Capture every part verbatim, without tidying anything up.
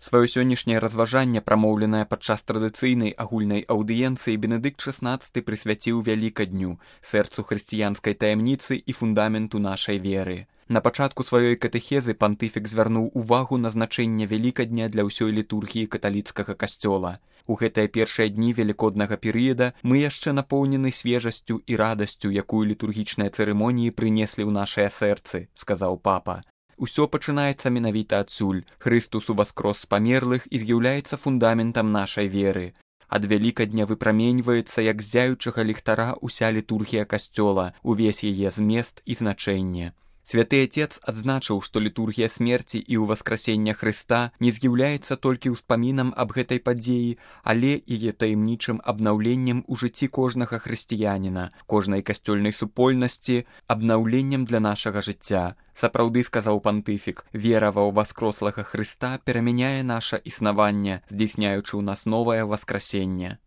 Сваё сённяшняе разважанне, прамоўленае падчас традыцыйнай агульнай аўдыенцыі, Бенедыкт шаснаццаты прысвяціў Вялікадню, сэрцу хрысціянскай таямніцы і фундаменту нашай веры. На пачатку сваёй катэхезы пантыфік звярнуў увагу на значэнне Вялікадня для ўсёй літургіі каталіцкага касцёла. У гэтыя першыя дні велікоднага перыяда мы яшчэ напоўнены свежасцю і радасцю, якую літургічныя цырымоніі прынеслі ў нашыя сэрцы, сказаў папа. Усё пачынаецца менавіта адсюль. Хрыстус уваскрос з памерлых і з'яўляецца фундаментам нашай веры. Ад Вялікадня выпраменьваецца, як з зяючага ліхтара, уся літургія касцёла, увесь яе змест і значэнне. Святы Отец адзначыў, што літургія смерці і ўваскрасення Хрыста не з'яўляецца толькі ўспамінам аб гэтай падзеі, але яе таямнічым абнаўленнем у жыцці кожнага хрысціяніна, кожнай касцёльнай супольнасці, абнаўленнем для нашага жыцця. Сапраўды, сказаў пантыфік, вера ва ўваскрослага Хрыста перамяняе наша існаванне, здзейсняючы ў нас новае васкрасенне.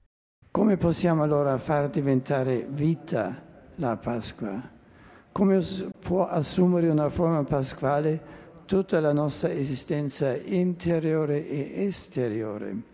Come possiamo allora far diventare vita la Pasqua? Come può assumere una forma pasquale tutta la nostra esistenza interiore e esteriore?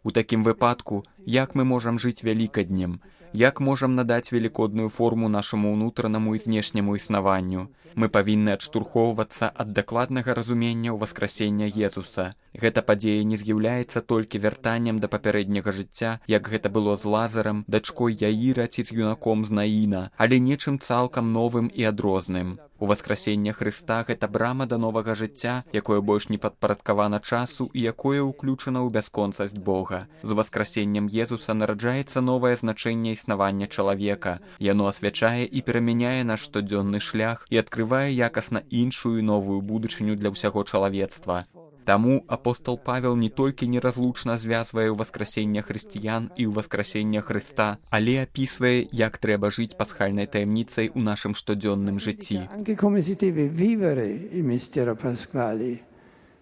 У такім выпадку, як мы можам жыць Вялікаднем? Як можам надаць велікодную форму нашаму ўнутранаму і знешняму існаванню? Мы павінны адштурхоўвацца ад дакладнага разумення ўваскрасення Езуса. Гэта падзея не з'яўляецца толькі вяртаннем да папярэдняга жыцця, як гэта было з Лазарам, дачкой Яіра ці з юнаком з Наіна, але нечым цалкам новым і адрозным. Уваскрасення Хрыста – гэта брама да новага жыцця, якое больш не падпарадкавана часу і якое ўключана ў бясконцасць Бога. З уваскрасеннем Езуса нараджаецца новае значэнне існавання чалавека. Яно асвячае і перамяняе наш штодзённы шлях і адкрывае якасна іншую новую будучыню для ўсяго чалавецтва. Таму апостол Павел не толькі неразлучна звязвае ўваскрасення хрысціян і ўваскрасення Хрыста, але апісвае, як трэба жыць пасхальнай таямніцай у нашым штодзённым жыцці. Anche come si deve vivere il mistero pasquale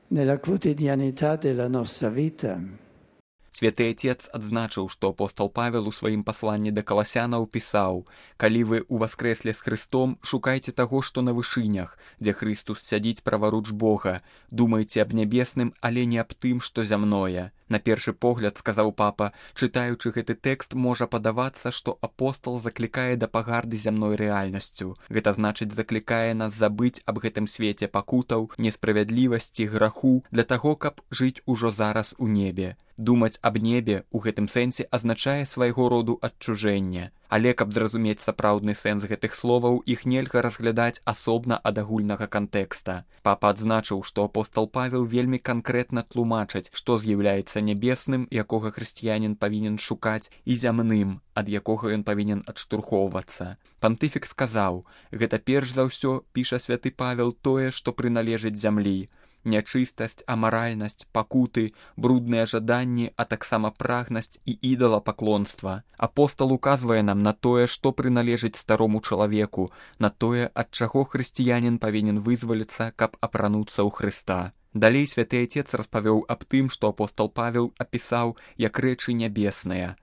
nella quotidianità della nostra vita. Святы Отец адзначыў, што апостол Павел у сваім пасланні да каласянаў пісаў: «Калі вы уваскрэслі з Хрыстом, шукайце таго, што на вышынях, дзе Хрыстус сядзіць праваруч Бога. Думайце аб нябесным, але не аб тым, што зямное». На першы погляд, сказаў папа, чытаючы гэты тэкст, можа падавацца, што апостол заклікае да пагарды зямной рэальнасцю. Гэта значыць, заклікае нас забыць аб гэтым свеце пакутаў, несправядлівасці, граху, для таго, каб жыць ужо зараз у небе. Думаць аб небе ў гэтым сэнсе азначае свайго роду адчужэнне. Але каб зразумець сапраўдны сэнс гэтых словаў, іх нельга разглядаць асобна ад агульнага кантэкста. Папа адзначыў, што апостол Павел вельмі канкрэтна тлумачыць, што з'яўляецца нябесным, якога хрысціянін павінен шукаць, і зямным, ад якога ён павінен адштурхоўвацца. Пантыфік сказаў: «Гэта перш за ўсё, піша святы Павел, тое, што прыналежыць зямлі. Нячыстасць, амаральнасць, пакуты, брудныя жаданні, а таксама прагнасць і ідалапаклонства. Апостал указвае нам на тое, што прыналежыць старому чалавеку, на тое, ад чаго хрысціянін павінен вызваліцца, каб апрануцца ў Хрыста». Далей святы Отец распавёў аб тым, што апостал Павел апісаў як рэчы нябесныя.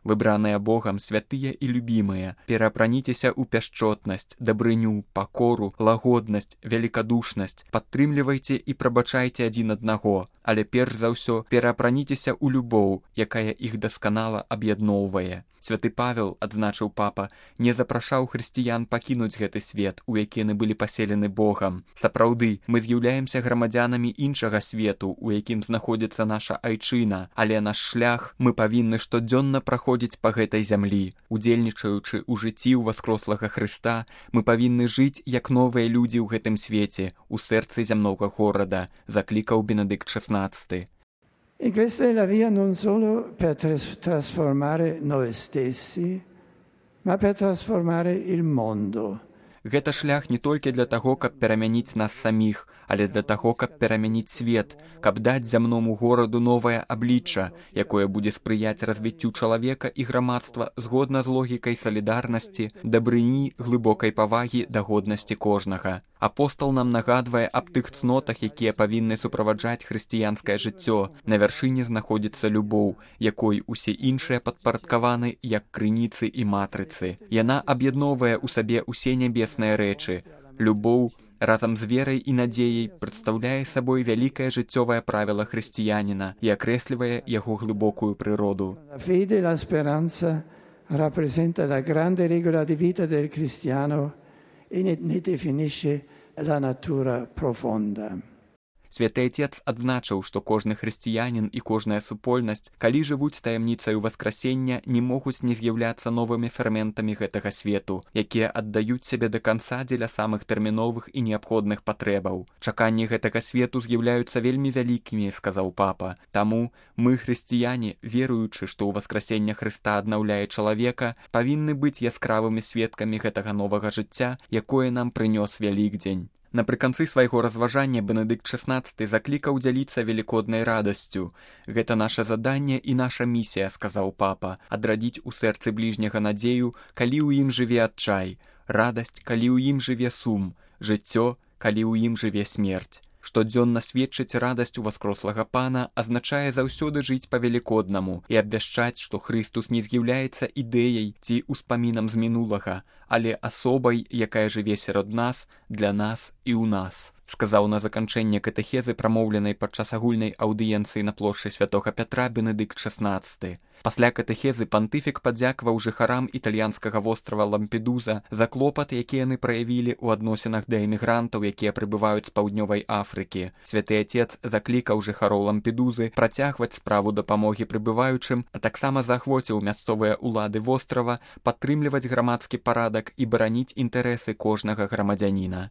Выбраныя Богам, святыя і любімыя, пераапраніцеся ў пяшчотнасць, дабрыню, пакору, лагоднасць, велікадушнасць, падтрымлівайце і прабачайце адзін аднаго, але перш за ўсё пераапраніцеся ў любоў, якая іх дасканала аб'ядноўвае. Святы Павел, адзначыў папа, не запрашаў хрысціян пакінуць гэты свет, у які яны былі паселены Богам. Сапраўды, мы з'яўляемся грамадзянамі іншага свету, у якім знаходзіцца наша айчына, але наш шлях мы павінны штодзённа праходзіць па гэтай зямлі. Удзельнічаючы ў жыцці ўваскрослага Хрыста, мы павінны жыць як новыя людзі ў гэтым свеце, у сэрцы зямнога горада, заклікаў Бенедыкт шаснаццаты. E questa è la via non solo per trasformare noi stessi, ma per trasformare il mondo. Гэта шлях не толькі для таго, каб перамяніць нас саміх, але для таго, каб перамяніць свет, каб даць зямному гораду новае аблічча, якое будзе спрыяць развіццю чалавека і грамадства згодна з логікай салідарнасці, дабрыні, глыбокай павагі да годнасці кожнага. Апостол нам нагадвае аб тых цнотах, якія павінны суправаджаць хрысціянскае жыццё. На вяршыні знаходзіцца любоў, якой усе іншыя падпарадкаваны як крыніцы і матрыцы. Яна аб'ядноўвае ў сабе ўсе нябесныя рэчы. Любоў разам з верай і надзеяй прадстаўляе сабой вялікае жыццёвае правіла хрысціяніна і акрэслівае яго глыбокую прыроду. La fede e la speranza rappresenta la grande regola di vita del cristiano e ne, ne definisce la natura profonda. Святы Отец адзначыў, што кожны хрысціянін і кожная супольнасць, калі жывуць таямніцаю васкрасення, не могуць не з'яўляцца новымі ферментамі гэтага свету, якія аддаюць сябе да канца дзеля самых тэрміновых і неабходных патрэбаў. Чаканні гэтага свету з'яўляюцца вельмі вялікімі, сказаў папа. Таму мы, хрысціяне, веруючы, што ў васкрасення Хрыста аднаўляе чалавека, павінны быць яскравымі сведкамі гэтага новага жыцця, якое нам прынёс Вялікдзень. Напрыканцы свайго разважання Бенедыкт шаснаццаты заклікаў дзяліцца велікоднай радасцю. Гэта наша заданне і наша місія, сказаў папа, адрадзіць у сэрцы бліжняга надзею, калі ў ім жыве адчай, радасць, калі ў ім жыве сум, жыццё, калі ў ім жыве смерць. Штодзённа сведчыць радасць у васкрослага пана азначае заўсёды жыць па-велікоднаму і абвяшчаць, што Хрыстус не з'яўляецца ідэяй ці ўспамінам з мінулага, але асобай, якая жыве сярод нас, для нас і ў нас. Сказаў на заканчэнне катэхезы, прамоўленай падчас агульнай аўдыенцыі на плошчы святога Пятра Бенедыкт шаснаццаты. Пасля катэхезы пантыфік падзякаваў жыхарам італьянскага вострава Лампедуза за клопат, які яны праявілі ў адносінах да эмігрантаў, якія прыбываюць з паўднёвай Афрыкі. Святы Отец заклікаў жыхароў Лампедузы працягваць справу дапамогі прыбываючым, а таксама заахвоціў мясцовыя ўлады вострава падтрымліваць грамадскі парадак і бараніць інтарэсы кожнага грамадзяніна.